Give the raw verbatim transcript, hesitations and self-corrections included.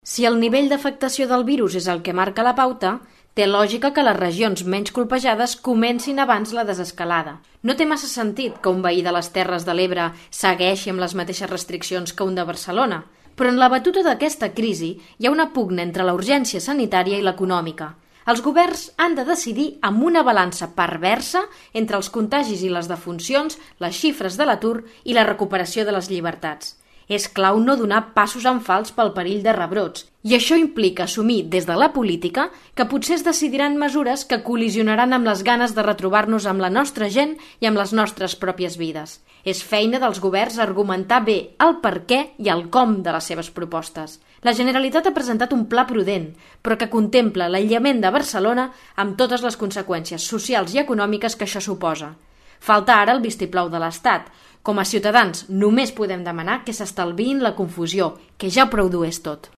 Si el nivell d'afectació del virus és el que marca la pauta, té lògica que les regions menys colpejades comencin abans la desescalada. No té massa sentit que un veí de les Terres de l'Ebre segueixi amb les mateixes restriccions que un de Barcelona, però en la batuta d'aquesta crisi hi ha una pugna entre la urgència sanitària i l'econòmica. Els governs han de decidir amb una balança perversa entre els contagis i les defuncions, les xifres de l'atur i la recuperació de les llibertats. És clau no donar passos en fals pel perill de rebrots, i això implica assumir des de la política que potser es decidiran mesures que col·lisionaran amb les ganes de retrobar-nos amb la nostra gent i amb les nostres pròpies vides. És feina dels governs argumentar bé el per què i el com de les seves propostes. La Generalitat ha presentat un pla prudent, però que contempla l'aïllament de Barcelona amb totes les conseqüències socials i econòmiques que això suposa. Falta ara el vistiplau de l'Estat. Com a ciutadans només podem demanar que s'estalviïn la confusió, que ja prou dur és tot.